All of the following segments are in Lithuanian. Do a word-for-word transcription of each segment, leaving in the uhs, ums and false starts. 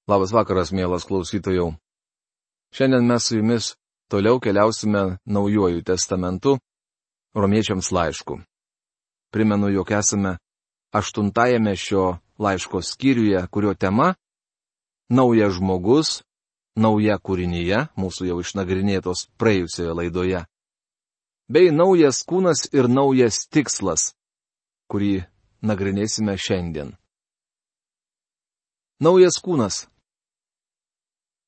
Labas vakaras, mielas klausytojau. Šiandien mes su jumis toliau keliausime Naujuoju testamentu, Romiečiams laišku. Primenu, jog esame aštuntajame šio laiško skyriuje, kurio tema - Naujas žmogus, nauja kūrinyje, mūsų jau išnagrinėtos praėjusioje laidoje, bei naujas kūnas ir naujas tikslas, kurį nagrinėsime šiandien. Naujas kūnas.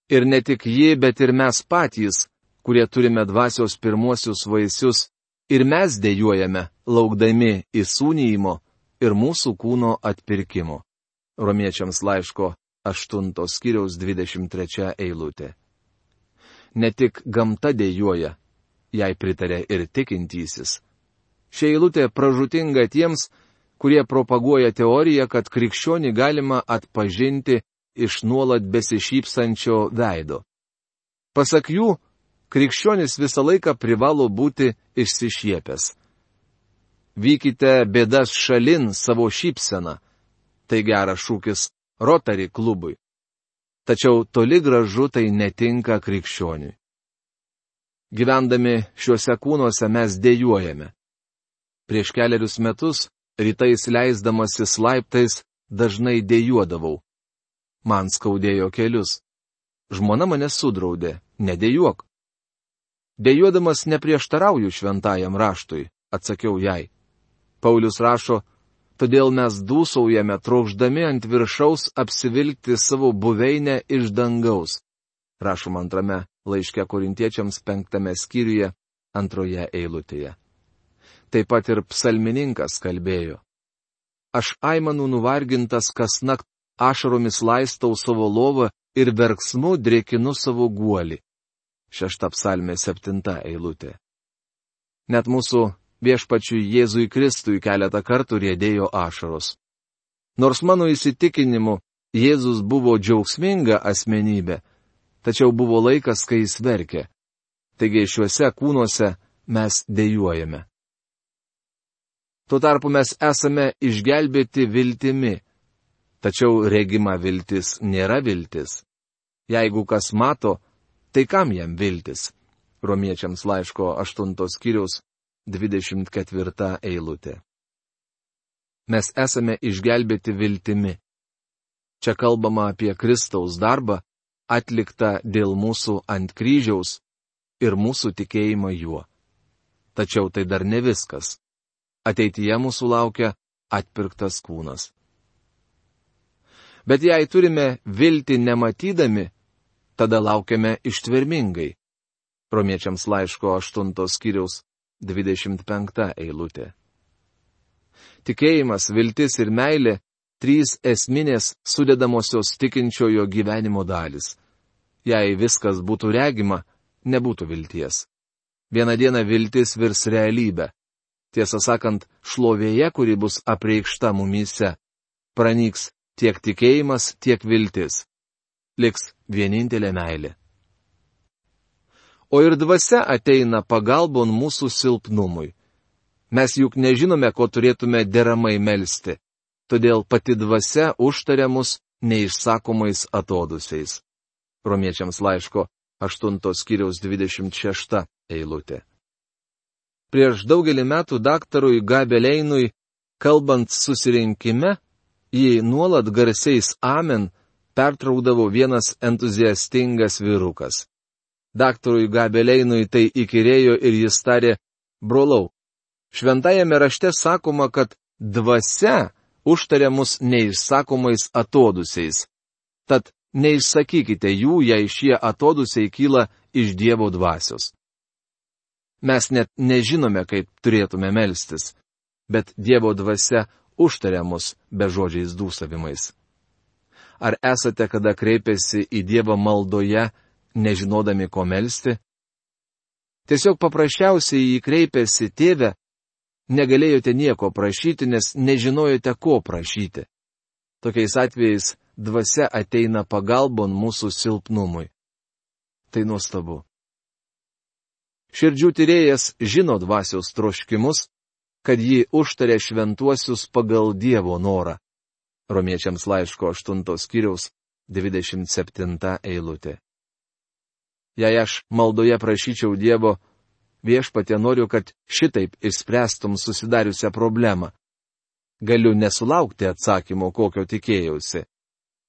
Ir ne tik ji, bet ir mes patys, kurie turime dvasios pirmuosius vaisius, ir mes dejuojame, laukdami įsūnijimo ir mūsų kūno atpirkimo. Romiečiams laiško aštuntos skyriaus dvidešimt trečia eilutė. Ne tik gamta dejuoja, jai pritarė ir tikintysis. Ši eilutė pražūtinga tiems, kurie propaguoja teoriją, kad krikščionį galima atpažinti iš nuolat besišypsančio veido. Pasak jų, krikščionis visą laiką privalo būti išsišiepęs. Vykite bėdas šalin savo šypseną. Tai geras šūkis Rotary klubui. Tačiau toli gražu tai netinka krikščioniui. Gyvendami šiuose kūnuose mes dejuojame. Prieš keliarius metus, rytais leisdamasis laiptais, dažnai dejuodavau. Man skaudėjo kelius. Žmona mane sudraudė, nedejuok. Dejuodamas neprieštarauju šventajam raštui, atsakiau jai. Paulius rašo, todėl mes dūsaujame, trokšdami ant viršaus apsivilkti savo buveinę iš dangaus. Rašom antrame laiške Korintiečiams penktame skyriuje, antroje eilutėje. Taip pat ir psalmininkas kalbėjo. Aš aimanų nuvargintas kasnakt, ašaromis laistau savo lovą ir verksmu drėkinu savo guolį. Šešta psalmė septinta eilutė. Net mūsų viešpačiui Jėzui Kristui keletą kartų riedėjo ašaros. Nors mano įsitikinimu Jėzus buvo džiaugsminga asmenybė, tačiau buvo laikas, kai jis verkė. Taigi šiuose kūnuose mes dejuojame. Tuo tarpu mes esame išgelbėti viltimi. Tačiau regima viltis nėra viltis. Jeigu kas mato, tai kam jam viltis? Romiečiams laiško aštuntos skyriaus dvidešimt ketvirta eilutė. Mes esame išgelbėti viltimi. Čia kalbama apie Kristaus darbą, atliktą dėl mūsų ant kryžiaus ir mūsų tikėjimą juo. Tačiau tai dar ne viskas. Ateityje mūsų laukia atpirktas kūnas. Bet jei turime viltį nematydami, tada laukiame ištvermingai. Romiečiams laiško aštuntos skyriaus dvidešimt penkta eilutė. Tikėjimas, viltis ir meilė - trys esminės sudedamosios tikinčiojo gyvenimo dalis. Jei viskas būtų regima, nebūtų vilties. Vieną dieną viltis virs realybę. Tiesą sakant, šlovėje, kuri bus apreikšta mumyse, pranyks tiek tikėjimas, tiek viltis. Liks vienintelė meilė. O ir dvasia ateina pagalbon mūsų silpnumui. Mes juk nežinome, ko turėtume deramai melsti, todėl pati dvasia užtaria mus neišsakomais atodusiais. Romiečiams laiško aštuntos skyriaus dvidešimt šešta eilutė. Prieš daugelį metų daktarui Gabeleinui, kalbant susirinkime, jį nuolat garsiais amen pertraukdavo vienas entuziastingas vyrukas. Daktarui Gabeleinui tai įkyrėjo ir jis tarė, brolau, šventajame rašte sakoma, kad dvasia užtaria mus neišsakomais atodusiais. Tad neišsakykite jų, jei šie atodusiai kyla iš Dievo dvasios. Mes net nežinome, kaip turėtume melstis, bet Dievo dvasia užtaria mus bežodžiais dūsavimais. Ar esate kada kreipęsi į Dievą maldoje, nežinodami ko melsti? Tiesiog paprasčiausiai jį kreipėsi tėve, negalėjote nieko prašyti, nes nežinojote ko prašyti. Tokiais atvejais dvasia ateina pagalbon mūsų silpnumui. Tai nuostabu. Širdžių tyrėjas žino dvasios troškimus, kad ji užtarė šventuosius pagal Dievo norą. Romiečiams laiško aštuntos skyriaus dvidešimt septinta eilutė. Jei aš maldoje prašyčiau Dievo, viešpatie noriu, kad šitaip išspręstum susidariusią problemą. Galiu nesulaukti atsakymo, kokio tikėjausi.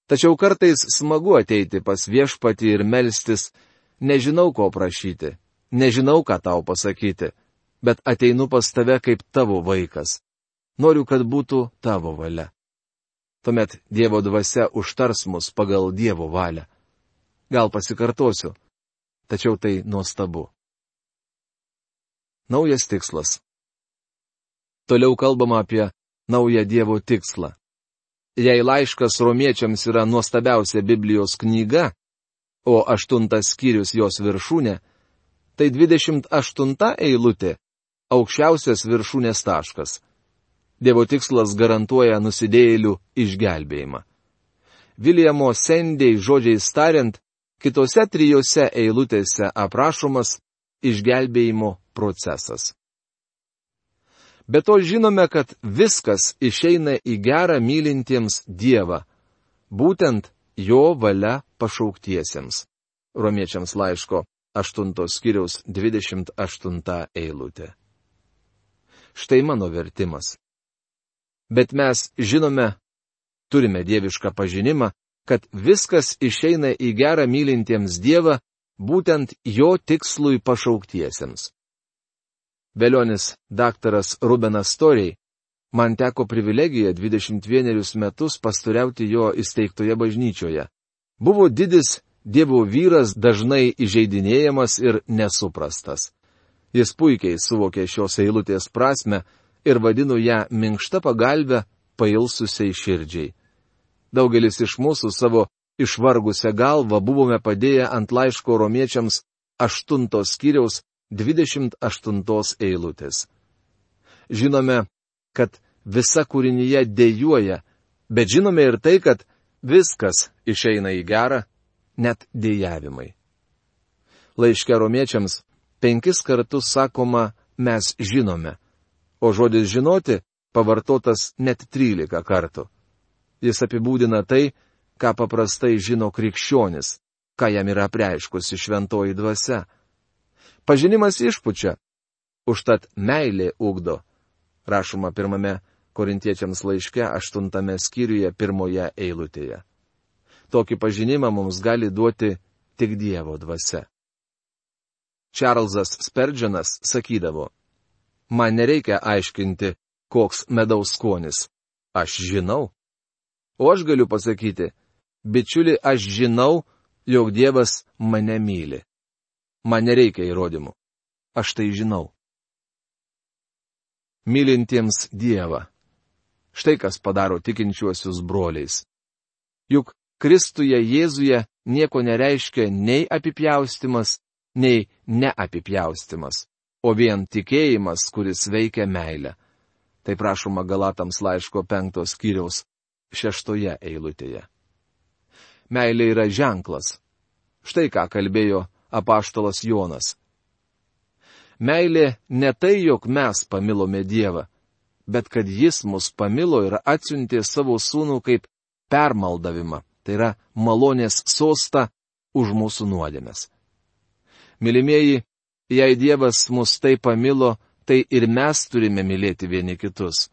Tačiau kartais smagu ateiti pas viešpatį ir melstis, nežinau, ko prašyti, nežinau, ką tau pasakyti, bet ateinu pas tave kaip tavo vaikas. Noriu, kad būtų tavo valia. Tuomet Dievo dvasia užtars mus pagal Dievo valią. Gal pasikartosiu, tačiau tai nuostabu. Naujas tikslas. Toliau kalbama apie naują Dievo tikslą. Jei laiškas romiečiams yra nuostabiausia Biblijos knyga, o aštuntas skyrius jos viršūnė, tai dvidešimt aštunta eilutė – aukščiausias viršūnės taškas. Dievo tikslas garantuoja nusidėjėlių išgelbėjimą. Viljamo Sendei žodžiais tariant, kitose trijose eilutėse aprašomas išgelbėjimo procesas. Be to žinome, kad viskas išeina į gerą mylintiems Dievą, būtent jo valia pašauktiesiems. Romiečiams laiško aštuntos skyriaus dvidešimt aštunta eilutė. Štai mano vertimas. Bet mes žinome, turime dievišką pažinimą, kad viskas išeina į gerą mylintiems Dievą, būtent jo tikslui pašauktiesiems. Velionis daktaras Rubenas Storiai, man teko privilegija dvidešimt vienerius metus pastoriauti jo įsteigtoje bažnyčioje. Buvo didis Dievo vyras, dažnai įžeidinėjamas ir nesuprastas. Jis puikiai suvokė šios eilutės prasme ir vadino ją minkšta pagalbė pailsusiai širdžiai. Daugelis iš mūsų savo išvargusią galvą buvome padėję ant laiško romiečiams aštuntos skyriaus dvidešimt aštuntos eilutės. Žinome, kad visa kūrinyje dejuoja, bet žinome ir tai, kad viskas išeina į gerą, net dejavimai. Laiške romiečiams penkis kartus sakoma mes žinome, o žodis žinoti pavartotas net trylika kartų. Jis apibūdina tai, ką paprastai žino krikščionis, ką jam yra apreiškusi šventoji dvasia. Pažinimas išpučia, užtat meilė ugdo, rašoma pirmame Korintiečiams laiške aštuntame skyriuje pirmoje eilutėje. Tokį pažinimą mums gali duoti tik Dievo dvasia. Čarlzas Sperdžianas sakydavo, man nereikia aiškinti, koks medaus skonis, aš žinau. O aš galiu pasakyti, bičiuli, aš žinau, jog Dievas mane myli. Man nereikia įrodymų. Aš tai žinau. Mylintiems Dievą. Štai kas padaro tikinčiuosius broliais. Juk Kristuje Jėzuje nieko nereiškia nei apipjaustimas, nei neapipjaustimas, o vien tikėjimas, kuris veikia meilę. Tai prašoma Galatams laiško penktos skyriaus šeštoje eilutėje. Meilė yra ženklas. Štai ką kalbėjo apaštalas Jonas. Meilė ne tai, jog mes pamilome Dievą, bet kad Jis mus pamilo ir atsiuntė savo sūnų kaip permaldavimą, tai yra malonės sostą už mūsų nuodėmes. Mylimieji, jei Dievas mus taip pamilo, tai ir mes turime mylėti vieni kitus.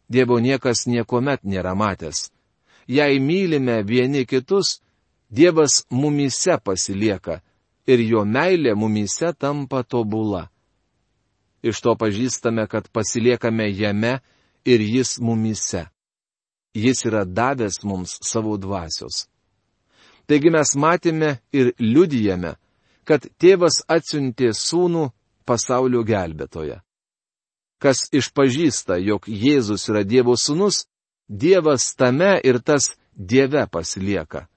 Dievo niekas niekuomet nėra matęs. Jei mylime vieni kitus, Dievas mumyse pasilieka ir jo meilė mumyse tampa tobula. Iš to pažįstame, kad pasiliekame jame ir jis mumyse. Jis yra davęs mums savo dvasios. Taigi mes matėme ir liudijame, kad tėvas atsiuntė sūnų pasaulio gelbėtoją. Kas išpažįsta, jog Jėzus yra Dievo sūnus, Dievas tame ir tas Dieve pasilieka.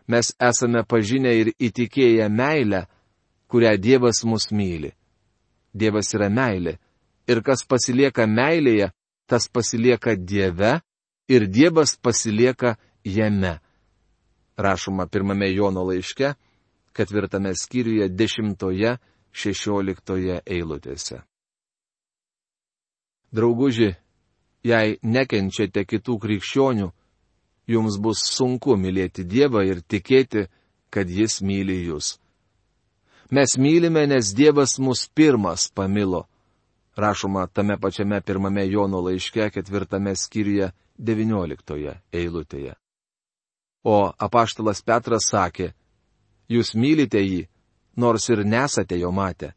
Mes esame pažinę ir įtikėję meilę, kurią Dievas mus myli. Dievas yra meilė, ir kas pasilieka meilėje, tas pasilieka Dieve, ir Dievas pasilieka jame. Rašoma pirmame Jono laiške, ketvirtame skyriuje, dešimtoje, šešioliktoje eilutėse. Drauguži, jei nekenčiate kitų krikščionių, jums bus sunku mylėti Dievą ir tikėti, kad Jis myli jūs. Mes mylime, nes Dievas mus pirmas pamilo. Rašoma tame pačiame pirmame Jono laiške, ketvirtame skyriuje, devynioliktoje eilutėje. O apaštalas Petras sakė, jūs mylite jį, nors ir nesate jo matę.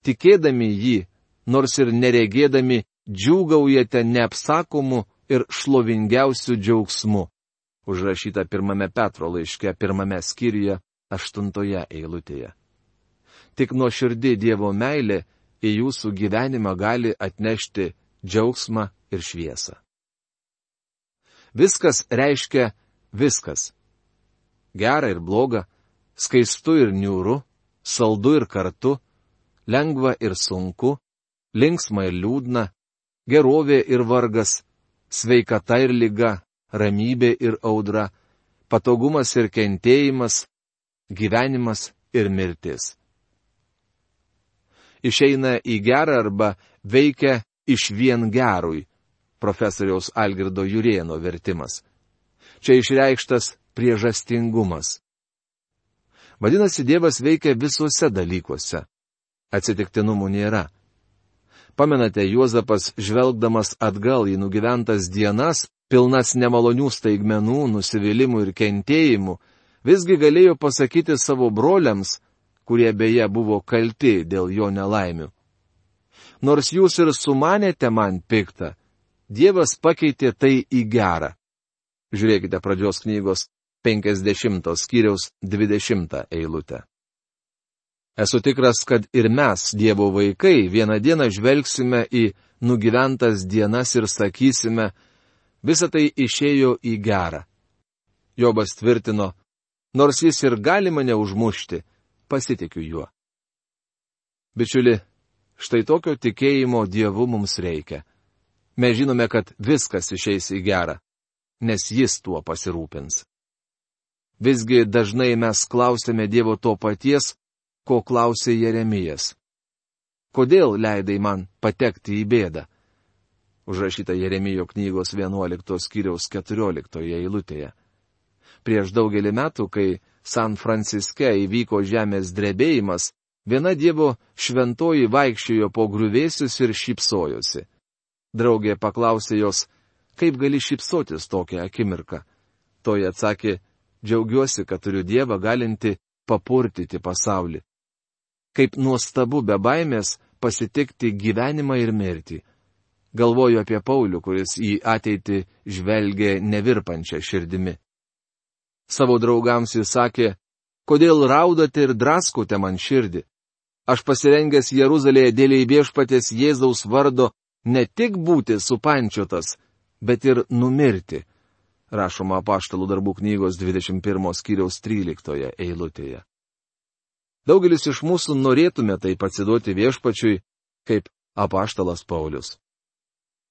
Tikėdami jį, nors ir neregėdami, džiūgaujate neapsakomu ir šlovingiausiu džiaugsmu. Užrašyta pirmame Petro laiške, pirmame skyriuje, aštuntoje eilutėje. Tik nuoširdi Dievo meilė į jūsų gyvenimą gali atnešti džiaugsmą ir šviesą. Viskas reiškia viskas. Gera ir bloga, skaistu ir niūru, saldu ir kartu, lengva ir sunku, linksma ir liūdna, gerovė ir vargas, sveikata ir liga, ramybė ir audra, patogumas ir kentėjimas, gyvenimas ir mirtis. Išeina į gerą arba veikia iš vien gerui, profesoriaus Algirdo Jurėno vertimas. Čia išreikštas priežastingumas. Vadinasi, Dievas veikia visuose dalykuose. Atsitiktinumų nėra. Pamenate, Juozapas, žvelgdamas atgal į nugyventas dienas, pilnas nemalonių staigmenų, nusivylimų ir kentėjimų, visgi galėjo pasakyti savo broliams, kurie beje buvo kalti dėl jo nelaimių. Nors jūs ir sumanėte man piktą, Dievas pakeitė tai į gerą. Žiūrėkite pradžios knygos penkiasdešimtos skyriaus dvidešimtą eilutę. Esu tikras, kad ir mes, Dievo vaikai, vieną dieną žvelgsime į nugyventas dienas ir sakysime, visa tai išėjo į gerą. Jobas tvirtino, nors jis ir gali mane užmušti, pasitikiu juo. Bičiuli, štai tokio tikėjimo Dievu mums reikia. Mes žinome, kad viskas išeis į gerą, nes Jis tuo pasirūpins. Visgi dažnai mes klausėme Dievo to paties, ko klausė Jeremijas. Kodėl leidai man patekti į bėdą? Užrašyta Jeremijo knygos vienuoliktos skyriaus keturioliktoje eilutėje. Prieš daugelį metų, kai San Franciske įvyko žemės drebėjimas, viena Dievo šventoji vaikščiojo po griuvėsius ir šypsojosi. Draugė paklausė jos, kaip gali šypsotis tokią akimirką. Toji atsakė, džiaugiuosi, kad turiu Dievą galinti papurtyti pasaulį. Kaip nuostabu be baimės pasitikti gyvenimą ir mirtį. Galvoju apie Paulių, kuris į ateitį žvelgė nevirpančią širdimi. Savo draugams jis sakė, kodėl raudate ir draskote man širdį? Aš pasirengęs Jeruzalėje dėl viešpaties Jėzaus vardo ne tik būti supančiotas, bet ir numirti. Rašoma Apaštalų darbų knygos dvidešimt pirmos skyriaus tryliktoje eilutėje. Daugelis iš mūsų norėtume taip atsiduoti viešpačiui, kaip apaštalas Paulius.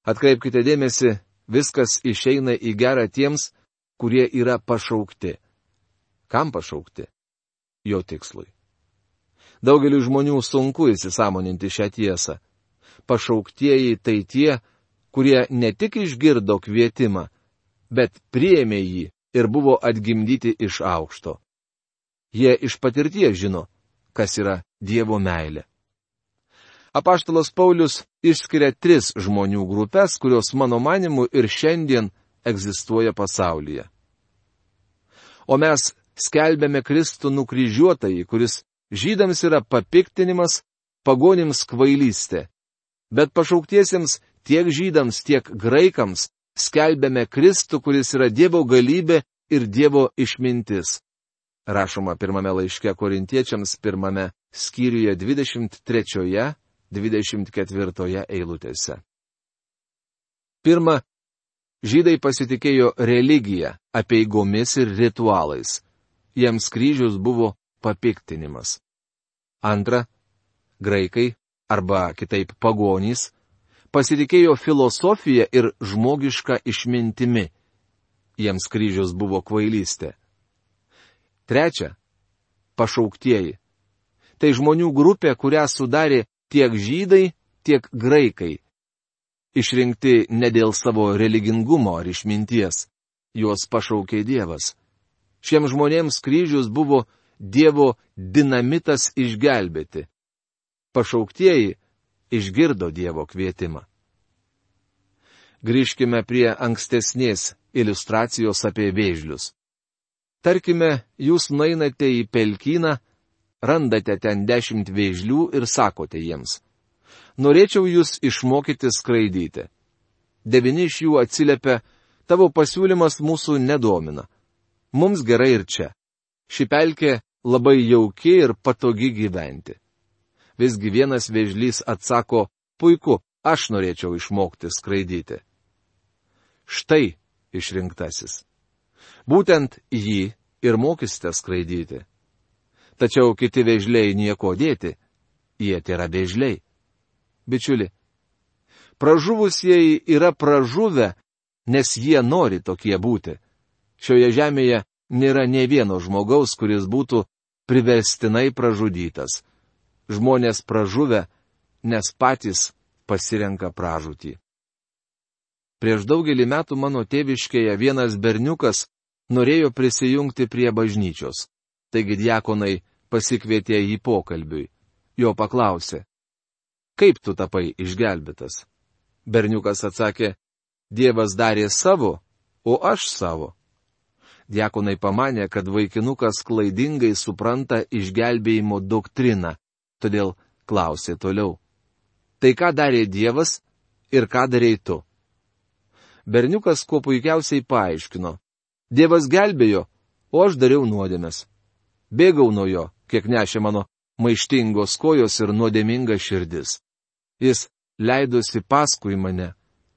Atkreipkite dėmesį, viskas išeina į gerą tiems, kurie yra pašaukti. Kam pašaukti? Jo tikslui. Daugeliu žmonių sunku įsisąmoninti šią tiesą. Pašauktieji tai tie, kurie ne tik išgirdo kvietimą, bet priėmė jį ir buvo atgimdyti iš aukšto. Jie iš patirties žino, kas yra Dievo meilė. Apaštalas Paulius išskiria tris žmonių grupės, kurios mano manimu ir šiandien egzistuoja pasaulyje. O mes skelbėme Kristų nukryžiuotąjį, kuris žydams yra papiktinimas, pagonims kvailystė. Bet pašauktiesiems tiek žydams, tiek graikams skelbėme Kristų, kuris yra Dievo galybė ir Dievo išmintis. Rašoma pirmame laiške Korintiečiams pirmame skyriuje dvidešimt trečioje, dvidešimt ketvirtoje eilutėse. Pirma, žydai pasitikėjo religiją, apeigomis ir ritualais. Jiems kryžius buvo papiktinimas. Antra, graikai, arba kitaip pagonys, pasitikėjo filosofiją ir žmogišką išmintimi. Jiems kryžius buvo kvailystė. Trečia, pašauktieji. Tai žmonių grupė, kurią sudarė tiek žydai, tiek graikai. Išrinkti ne dėl savo religingumo ar išminties, juos pašaukė Dievas. Šiems žmonėms kryžius buvo Dievo dinamitas išgelbėti. Pašauktieji išgirdo Dievo kvietimą. Grįžkime prie ankstesnės iliustracijos apie vėžlius. Tarkime, jūs nueinate į pelkyną, randate ten dešimt vėžlių ir sakote jiems: norėčiau jūs išmokyti skraidyti. Devini iš jų atsiliepia: tavo pasiūlymas mūsų nedomina. Mums gerai ir čia. Ši pelkė labai jauki ir patogi gyventi. Visgi vienas vėžlys atsako: puiku, aš norėčiau išmokti skraidyti. Štai išrinktasis. Būtent jį ir mokysite skraidyti. Tačiau kiti vėžliai nieko dėti, jie tėra vėžliai. Bičiuli, pražuvusieji yra pražuvę, nes jie nori tokie būti. Šioje žemėje nėra nė vieno žmogaus, kuris būtų priverstinai pražudytas. Žmonės pražuvę, nes patys pasirenka pražūtį. Prieš daugelį metų mano tėviškėje vienas berniukas norėjo prisijungti prie bažnyčios. Taigi diakonai pasikvietė jį pokalbiui. Jo paklausė: kaip tu tapai išgelbėtas? Berniukas atsakė: Dievas darė savo, o aš savo. Diakonai pamanė, kad vaikinukas klaidingai supranta išgelbėjimo doktriną, todėl klausė toliau: tai ką darė Dievas ir ką darei tu? Berniukas kuo puikiausiai paaiškino: Dievas gelbėjo, o aš dariau nuodėmes. Bėgau nuo jo, kiek nešė mano maištingos kojos ir nuodėminga širdis. Jis leidosi paskui mane,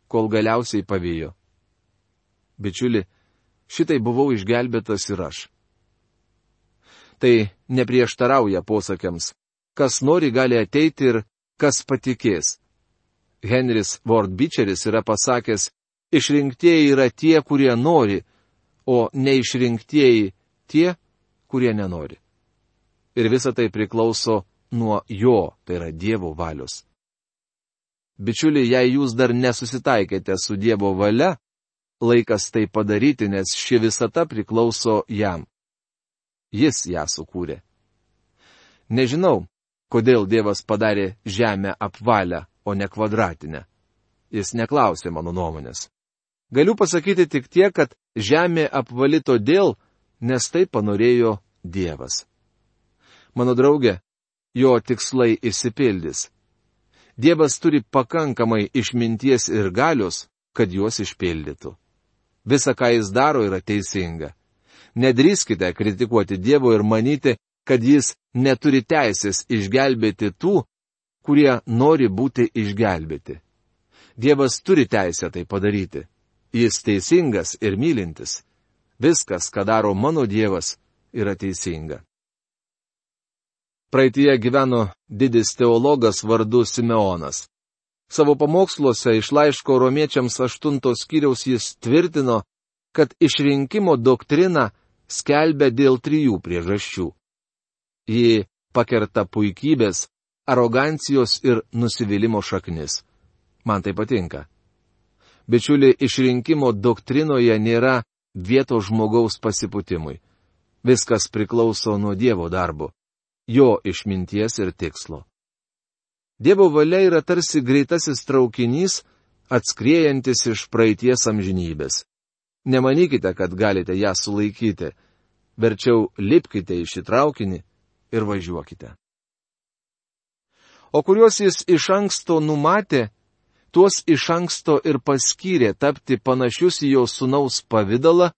kol galiausiai pavijo. Bičiuli, šitai buvau išgelbėtas ir aš. Tai neprieštarauja posakiams: kas nori gali ateiti ir kas patikės. Henris Ward Beecheris yra pasakęs: išrinktieji yra tie, kurie nori, o neišrinktieji tie, kurie nenori. Ir visa tai priklauso nuo jo, tai yra Dievo valios. Bičiuliai, jei jūs dar nesusitaikėte su Dievo valia, laikas tai padaryti, nes ši visata priklauso jam. Jis ją sukūrė. Nežinau, kodėl Dievas padarė žemę apvalę, o ne kvadratinę. Jis neklausė mano nuomonės. Galiu pasakyti tik tiek, kad žemė apvali todėl, nes tai panorėjo Dievas. Mano draugė, jo tikslai išsipildys. Dievas turi pakankamai išminties ir galios, kad juos išpildytų. Visa, ką jis daro, yra teisinga. Nedrįskite kritikuoti Dievo ir manyti, kad jis neturi teisės išgelbėti tų, kurie nori būti išgelbėti. Dievas turi teisę tai padaryti. Jis teisingas ir mylintis. Viskas, ką daro mano Dievas, yra teisinga. Praeitie gyveno didis teologas vardu Simeonas. Savo pamoksluose iš laiško romiečiams aštuntos skyriaus jis tvirtino, kad išrinkimo doktrina skelbia dėl trijų priežasčių. Ji pakerta puikybės, arogancijos ir nusivylimo šaknis. Man tai patinka. Bičiuli, išrinkimo doktrinoje nėra vietos žmogaus pasipūtimui. Viskas priklauso nuo Dievo darbo, jo išminties ir tikslo. Dievo valia yra tarsi greitasis traukinys, atskriejantis iš praeities amžinybės. Nemanykite, kad galite ją sulaikyti. Verčiau lipkite į šį traukinį ir važiuokite. O kuriuos jis iš anksto numatė, tuos iš anksto ir paskyrė tapti panašius į jo sūnaus pavidalą,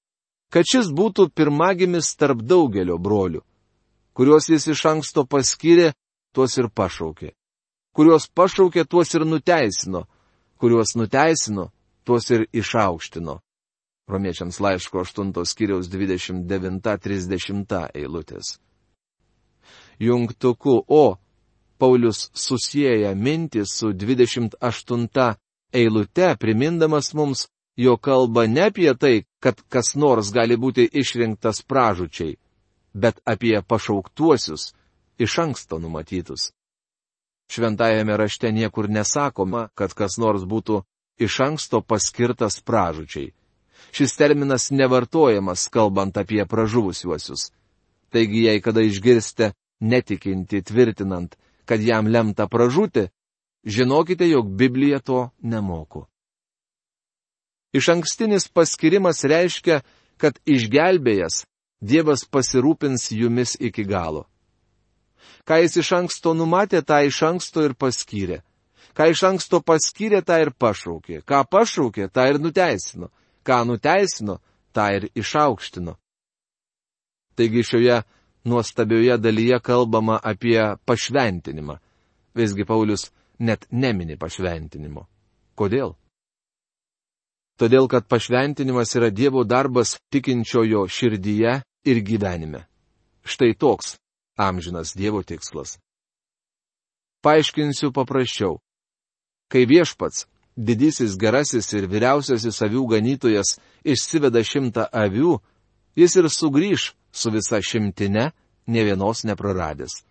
kad šis būtų pirmagimis tarp daugelio brolių. Kuriuos jis iš anksto paskyrė, tuos ir pašaukė. Kuriuos pašaukė, tuos ir nuteisino. Kuriuos nuteisino, tuos ir išaukštino. Romiečiams laiško aštuntos skyriaus dvidešimt devinta trisdešimta eilutės. Jungtuku O Paulius susieja mintį su dvidešimt aštunta eilute, primindamas mums, jo kalba ne apie tai, kad kas nors gali būti išrinktas pražūčiai, bet apie pašauktuosius, iš anksto numatytus. Šventajame rašte niekur nesakoma, kad kas nors būtų iš anksto paskirtas pražūčiai. Šis terminas nevartojamas, kalbant apie pražuvusiuosius. Taigi, jei kada išgirsite netikinti tvirtinant, kad jam lemta pražūti, žinokite, jog Biblija to nemoko. Išankstinis paskirimas reiškia, kad išgelbėjęs Dievas pasirūpins jumis iki galo. Ką jis iš anksto numatė, tą iš anksto ir paskyrė. Ką iš anksto paskyrė, tą ir pašaukė. Ką pašaukė, tą ir nuteisino. Ką nuteisino, tą ir išaukštino. Taigi šioje nuostabioje dalyje kalbama apie pašventinimą. Visgi Paulius net nemini pašventinimo. Kodėl? Todėl, kad pašventinimas yra Dievo darbas tikinčiojo širdyje ir gyvenime. Štai toks amžinas Dievo tikslas. Paaiškinsiu paprasčiau. Kai viešpats, didysis gerasis ir vyriausiasis avių ganytojas išsiveda šimtą avių, jis ir sugrįž su visa šimtine, nė vienos nepraradęs.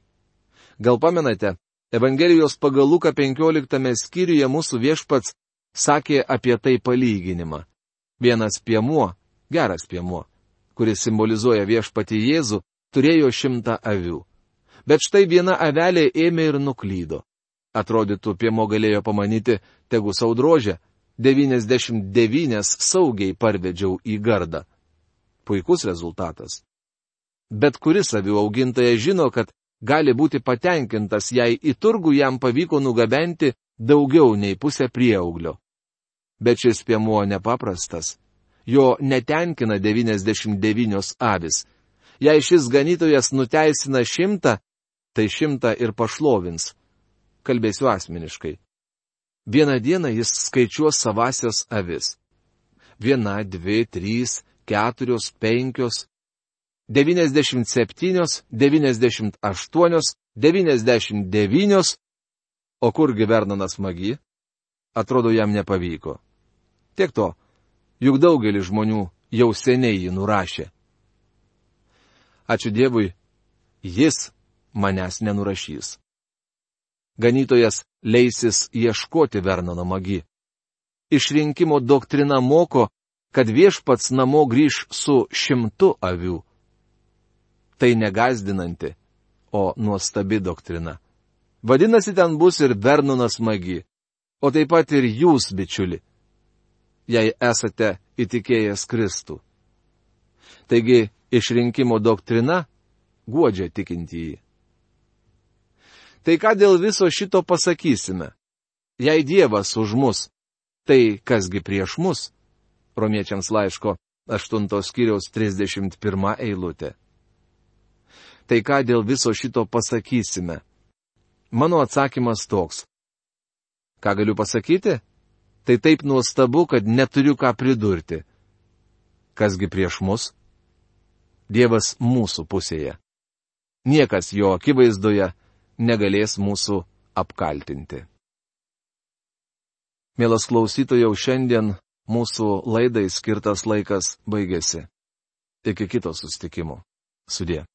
Gal pamenate, Evangelijos pagal Luką penkioliktame skyriuje mūsų viešpats sakė apie tai palyginimą. Vienas piemuo, geras piemuo, kuris simbolizuoja viešpatį Jėzų, turėjo šimtą avių. Bet štai viena avelė ėmė ir nuklydo. Atrodytų, piemuo galėjo pamanyti, tegu sau drožia, devyniasdešimt devynias saugiai parvedžiau į gardą. Puikus rezultatas. Bet kuris avių augintojas žino, kad gali būti patenkintas, jei į turgų jam pavyko nugabenti daugiau nei pusę prieauglio. Bet šis piemuo nepaprastas. Jo netenkina devyniasdešimt devynios avis. Jei šis ganytojas nuteisina šimtą, tai šimtą ir pašlovins. Kalbėsiu asmeniškai. Vieną dieną jis skaičiuos savasias avis. Viena, dvi, trys, keturios, penkios, devyniasdešimt septynios, devyniasdešimt aštuonios, devyniasdešimt devynios, o kurgi Vernonas Magi? Atrodo, jam nepavyko. Tiek to, juk daugelis žmonių jau seniai jį nurašė. Ačiū Dievui, jis manęs nenurašys. Ganytojas leisis ieškoti Vernono Magi. Išrinkimo doktrina moko, kad viešpats namo grįž su šimtu avių. Tai negazdinanti, o nuostabi doktrina. Vadinasi, ten bus ir Vernonas Magi, o taip pat ir jūs, bičiuli, jei esate įtikėjęs Kristų. Taigi, išrinkimo doktrina guodžia tikintįjį. Tai ką dėl viso šito pasakysime? Jei Dievas už mus, tai kasgi prieš mus? Romiečiams laiško aštuntos skyriaus trisdešimt pirma eilutė. Tai ką dėl viso šito pasakysime? Mano atsakymas toks. Ką galiu pasakyti? Tai taip nuostabu, kad neturiu ką pridurti. Kasgi prieš mus? Dievas mūsų pusėje. Niekas jo akivaizdoje negalės mūsų apkaltinti. Mielas klausytojau, šiandien mūsų laidai skirtas laikas baigėsi. Iki kito susitikimo. Sudie.